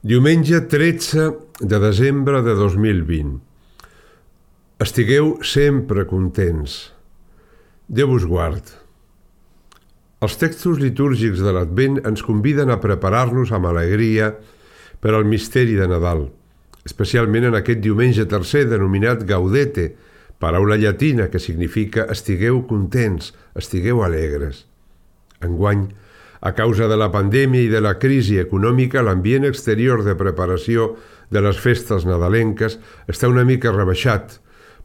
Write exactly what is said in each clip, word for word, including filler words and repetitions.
Diumenge tretze de desembre de dos mil vint. Estigueu sempre contents. Déu us guard. Els textos litúrgics de l'Advent ens conviden a preparar-nos amb alegria per al misteri de Nadal, especialment en aquest diumenge tercer denominat Gaudete, paraula llatina que significa estigueu contents, estigueu alegres. Enguany, a causa de la pandèmia i de la crisi econòmica, l'ambient exterior de preparació de les festes nadalenques està una mica rebaixat,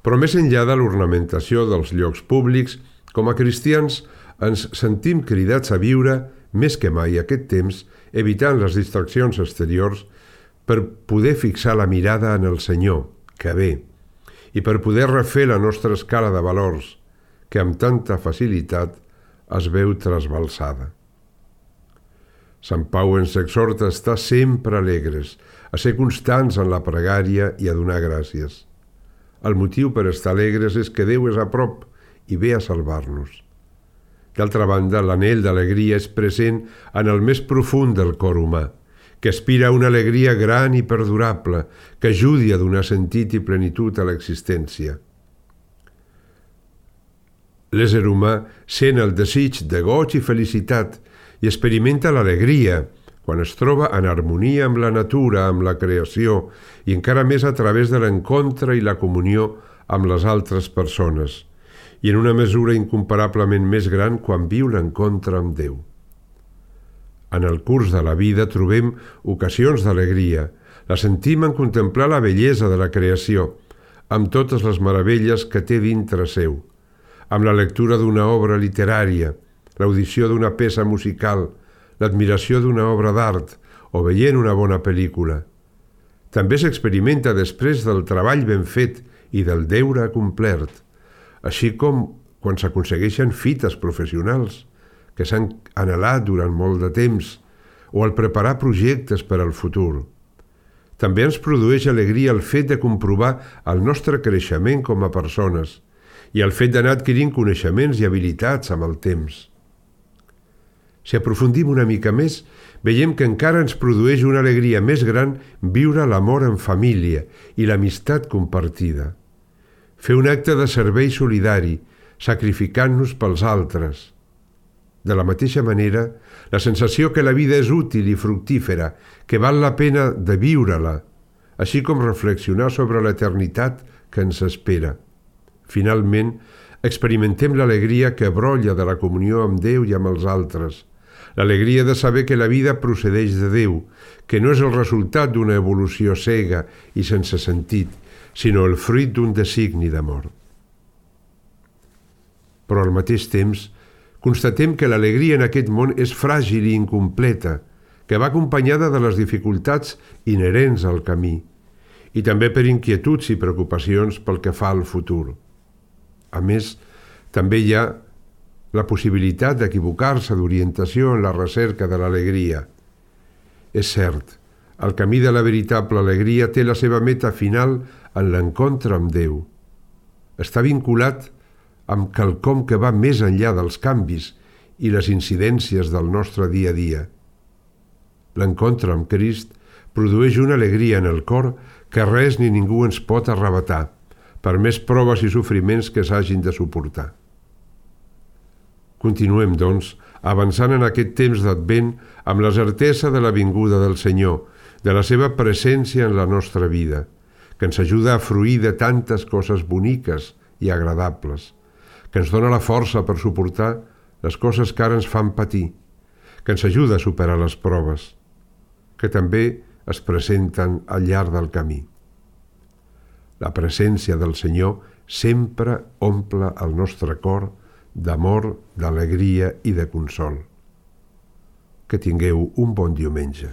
però més enllà de l'ornamentació dels llocs públics, com a cristians ens sentim cridats a viure més que mai aquest temps, evitant les distraccions exteriors per poder fixar la mirada en el Senyor, que ve, i per poder refer la nostra escala de valors, que amb tanta facilitat es veu trasbalsada. Sant Pau ens exhorta a estar sempre alegres, a ser constants en la pregària i a donar gràcies. El motiu per estar alegres és que Déu és a prop i ve a salvar-nos. D'altra banda, l'anhel d'alegria és present en el més profund del cor humà, que aspira a una alegria gran i perdurable, que ajudi a donar sentit i plenitud a l'existència. L'ésser humà sent el desig de goig i felicitat i experimenta l'alegria quan es troba en harmonia amb la natura, amb la creació i encara més a través de l'encontre i la comunió amb les altres persones i en una mesura incomparablement més gran quan viu l'encontre amb Déu. En el curs de la vida trobem ocasions d'alegria, la sentim en contemplar la bellesa de la creació, amb totes les meravelles que té dintre seu, amb la lectura d'una obra literària, l'audició d'una peça musical, l'admiració d'una obra d'art o veient una bona pel·lícula. També s'experimenta després del treball ben fet i del deure complert, així com quan s'aconsegueixen fites professionals que s'han anhelat durant molt de temps o al preparar projectes per al futur. També ens produeix alegria el fet de comprovar el nostre creixement com a persones i el fet d'anar adquirint coneixements i habilitats amb el temps. Si aprofundim una mica més, veiem que encara ens produeix una alegria més gran viure l'amor en família i l'amistat compartida. Fer un acte de servei solidari, sacrificant-nos pels altres. De la mateixa manera, la sensació que la vida és útil i fructífera, que val la pena de viure-la, així com reflexionar sobre l'eternitat que ens espera. Finalment, experimentem l'alegria que brolla de la comunió amb Déu i amb els altres, l'alegria de saber que la vida procedeix de Déu, que no és el resultat d'una evolució cega i sense sentit, sinó el fruit d'un designi d'amor. Però al mateix temps, constatem que l'alegria en aquest món és fràgil i incompleta, que va acompanyada de les dificultats inherents al camí, i també per inquietuds i preocupacions pel que fa al futur. A més, també hi ha la possibilitat d'equivocar-se d'orientació en la recerca de l'alegria. És cert, el camí de la veritable alegria té la seva meta final en l'encontre amb Déu. Està vinculat amb quelcom que va més enllà dels canvis i les incidències del nostre dia a dia. L'encontre amb Crist produeix una alegria en el cor que res ni ningú ens pot arrabatar, per més proves i sofriments que s'hagin de suportar. Continuem, doncs, avançant en aquest temps d'Advent amb la certesa de la vinguda del Senyor, de la seva presència en la nostra vida, que ens ajuda a fruir de tantes coses boniques i agradables, que ens dona la força per suportar les coses que ara ens fan patir, que ens ajuda a superar les proves, que també es presenten al llarg del camí. La presència del Senyor sempre omple el nostre cor d'amor, d'alegria i de consol. Que tingueu un bon diumenge.